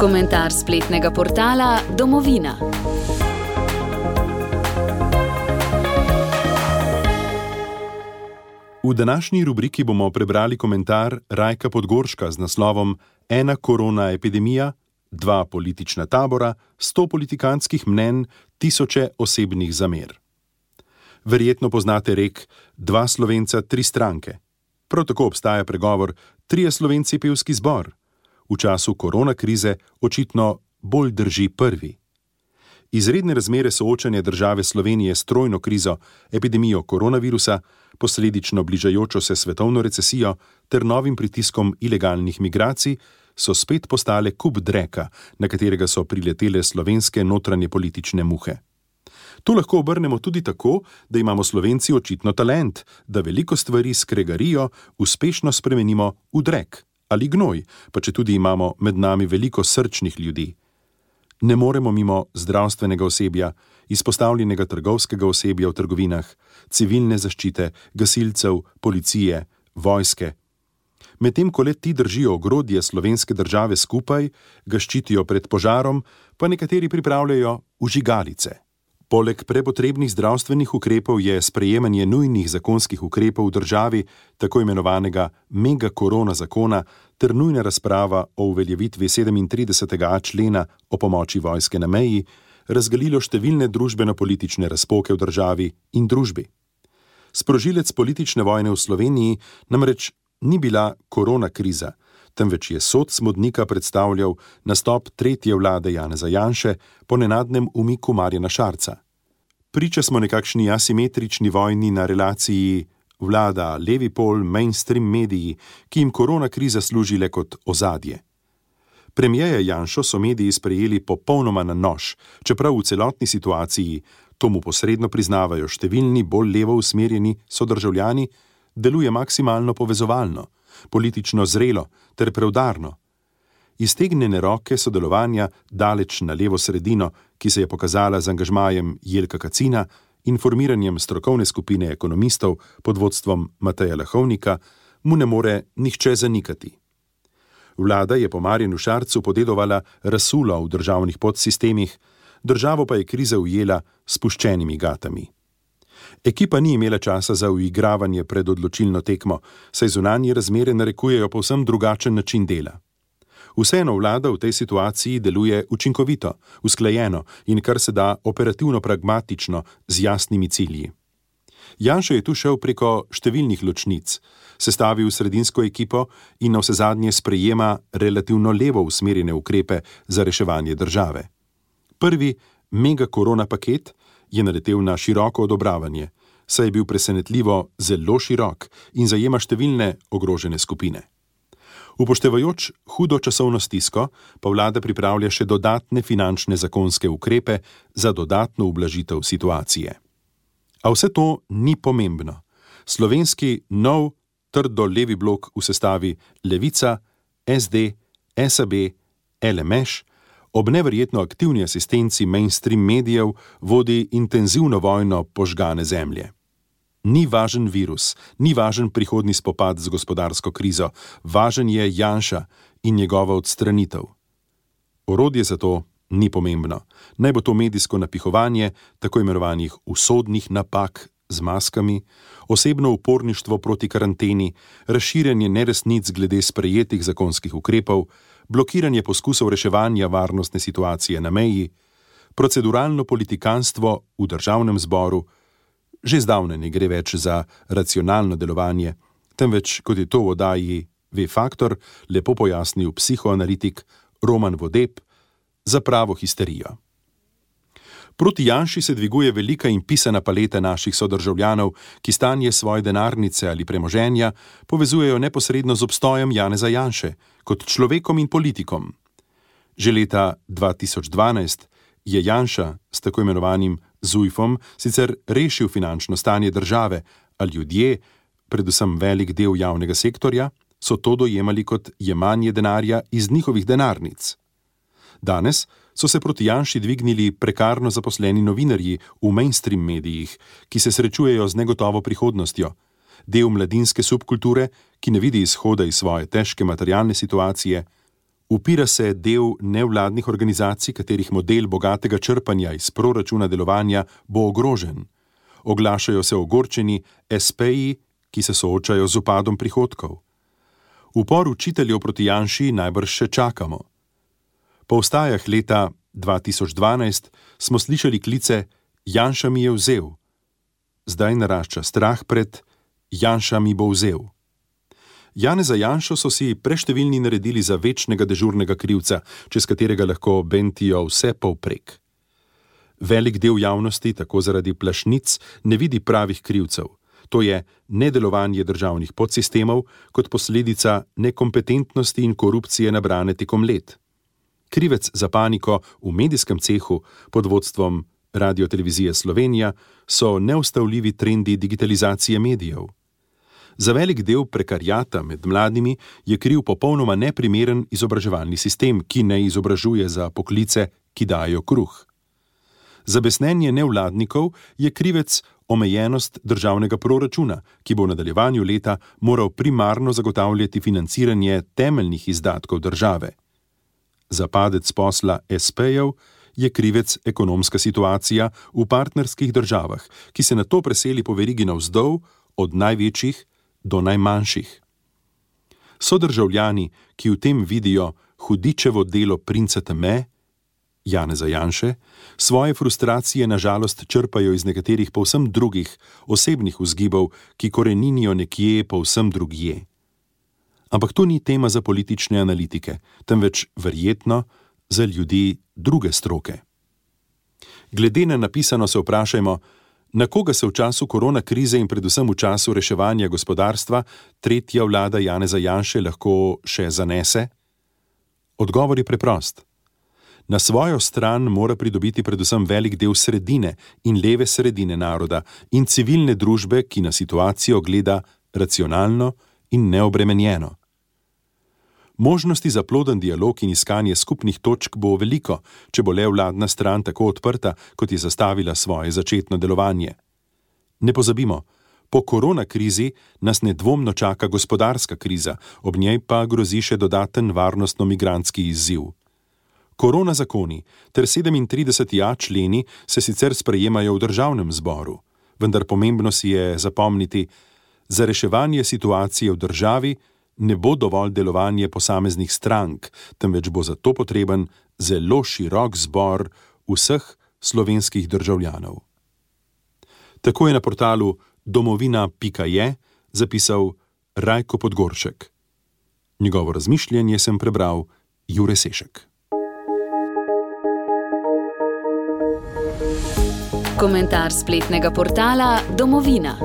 Komentar spletnega portala Domovina. V današnji rubriki bomo prebrali komentar Rajka Podgorška z naslovom Ena korona epidemija, 2 politična tabora, 100 politikantskih mnenj, 1000 osebnih zamer. Verjetno poznate rek 2 Slovenca, 3 stranke. Prav tako obstaja pregovor 3 Slovenci pevski zbor. V času korona krize očitno bolj drži prvi. Izredne razmere soočanja države Slovenije s trojno krizo, epidemijo koronavirusa, posledično bližajočo se svetovno recesijo ter novim pritiskom ilegalnih migracij so spet postale kup dreka, na katerega so priletele slovenske notranje politične muhe. To lahko obrnemo tudi tako, da imamo Slovenci očitno talent, da veliko stvari s kregarijo uspešno spremenimo v drek ali gnoj, pa četudi imamo med nami veliko srčnih ljudi. Ne moremo mimo zdravstvenega osebja, izpostavljenega trgovskega osebja v trgovinah, civilne zaščite, gasilcev, policije, vojske. Medtem ko le ti držijo ogrodje slovenske države skupaj, ga ščitijo pred požarom, pa nekateri pripravljajo vžigalice. Poleg prepotrebnih zdravstvenih ukrepov je sprejemanje nujnih zakonskih ukrepov v državi, tako imenovanega mega korona zakona, ter nujna razprava o uveljavitvi 37. člena o pomoči vojske na meji, razgalilo številne družbeno-politične razpoke v državi in družbi. Sprožilec politične vojne v Sloveniji namreč ni bila korona kriza, temveč je sod smodnika predstavljal nastop tretje vlade Janeza Janše po nenadnem umiku Marjana Šarca. Priča smo nekakšni asimetrični vojni na relaciji vlada levi pol, mainstream mediji, ki jim korona kriza služi le kot ozadje. Premierja Janšo so mediji sprejeli popolnoma na nož, čeprav v celotni situaciji, to mu posredno priznavajo številni bolj levo usmerjeni sodržavljani, deluje maksimalno povezovalno, politično zrelo ter preudarno. Iztegnjene roke sodelovanja daleč na levo sredino, ki se je pokazala z angažmajem Jelka Kacina in formiranjem strokovne skupine ekonomistov pod vodstvom Mateja Lahovnika, mu ne more nihče zanikati. Vlada je po Marjanu Šarcu podedovala razsulo v državnih podsistemih, državo pa je kriza ujela s spuščenimi gatami. Ekipa ni imela časa za uigravanje pred odločilno tekmo, saj zunanje razmere narekujejo povsem drugačen način dela. Vseeno vlada v tej situaciji deluje učinkovito, usklajeno in kar se da operativno pragmatično z jasnimi cilji. Janša je tu šel preko številnih ločnic, sestavil sredinsko ekipo in navsezadnje sprejema relativno levo usmerjene ukrepe za reševanje države. Prvi mega korona paket je naletel na široko odobravanje, saj je bil presenetljivo zelo širok in zajema številne ogrožene skupine. Upoštevajoč hudo časovno stisko, pa vlada pripravlja še dodatne finančne zakonske ukrepe za dodatno ublažitev situacije. A vse to ni pomembno. Slovenski nov, trdo levi blok v sestavi Levica, SD, SAB, LMŠ ob neverjetno aktivni asistenci mainstream medijev vodi intenzivno vojno požgane zemlje. Ni važen virus, ni važen prihodnji spopad z gospodarsko krizo, važen je Janša in njegova odstranitev. Orodje za to ni pomembno. Naj bo to medijsko napihovanje tako imenovanih usodnih napak z maskami, osebno uporništvo proti karanteni, razširjanje neresnic glede sprejetih zakonskih ukrepov, blokiranje poskusov reševanja varnostne situacije na meji, proceduralno politikanstvo v državnem zboru. Že zdavne ne gre več za racionalno delovanje, temveč, kot je to v oddaji V-Faktor lepo pojasnil psihoanalitik Roman Vodeb, za pravo histerijo. Proti Janši se dviguje velika in pisana paleta naših sodržavljanov, ki stanje svoje denarnice ali premoženja povezujejo neposredno z obstojem Janeza Janše, kot človekom in politikom. Že leta 2012 je Janša s tako imenovanim Zujfom sicer rešil finančno stanje države, a ljudje, predvsem velik del javnega sektorja, so to dojemali kot jemanje denarja iz njihovih denarnic. Danes so se proti Janši dvignili prekarno zaposleni novinarji v mainstream medijih, ki se srečujejo z negotovo prihodnostjo, del mladinske subkulture, ki ne vidi izhoda iz svoje težke materialne situacije, Upira se del nevladnih organizacij, katerih model bogatega črpanja iz proračuna delovanja bo ogrožen. Oglašajo se ogorčeni espeji, ki se soočajo z upadom prihodkov. Upor učiteljev proti Janši najbrž še čakamo. Po vstajah leta 2012 smo slišali klice Janša mi je vzel. Zdaj narašča strah pred Janša mi bo vzel. Janeza Janšo so si preštevilni naredili za večnega dežurnega krivca, čez katerega lahko bentijo vse povprek. Velik del javnosti tako zaradi plašnic ne vidi pravih krivcev. To je nedelovanje državnih podsistemov kot posledica nekompetentnosti in korupcije nabrane tekom let. Krivec za paniko v medijskem cehu pod vodstvom Radiotelevizije Slovenija so neustavljivi trendi digitalizacije medijev. Za velik del prekariata med mladimi je kriv popolnoma neprimeren izobraževalni sistem, ki ne izobražuje za poklice, ki dajo kruh. Za besnenje nevladnikov je krivec omejenost državnega proračuna, ki bo v nadaljevanju leta moral primarno zagotavljati financiranje temeljnih izdatkov države. Za padec posla SP-jev je krivec ekonomska situacija v partnerskih državah, ki se nato preseli po verigi navzdol od največjih do najmanjših. Sodržavljani, ki v tem vidijo hudičevo delo princa teme, Janeza Janše, svoje frustracije na žalost črpajo iz nekaterih povsem drugih osebnih vzgibov, ki koreninijo nekje povsem drugje. Ampak to ni tema za politične analitike, temveč verjetno za ljudi druge stroke. Glede na napisano se vprašajmo, na koga se v času korona krize in predvsem v času reševanja gospodarstva tretja vlada Janeza Janše lahko še zanese? Odgovor je preprost. Na svojo stran mora pridobiti predvsem velik del sredine in leve sredine naroda in civilne družbe, ki na situacijo gleda racionalno in neobremenjeno. Možnosti za ploden dialog in iskanje skupnih točk bo veliko, če bo le vladna stran tako odprta, kot je zastavila svoje začetno delovanje. Ne pozabimo, po korona krizi nas nedvomno čaka gospodarska kriza, ob njej pa grozi še dodaten varnostno-migrantski izziv. Korona zakoni ter 37a členi se sicer sprejemajo v državnem zboru, vendar pomembno si je zapomniti, za reševanje situacije v državi ne bo dovolj delovanje posameznih strank, temveč bo za to potreben zelo širok zbor vseh slovenskih državljanov. Tako je na portalu domovina.je zapisal Rajko Podgoršek. Njegovo razmišljanje sem prebral Jure Sešek. Komentar spletnega portala Domovina.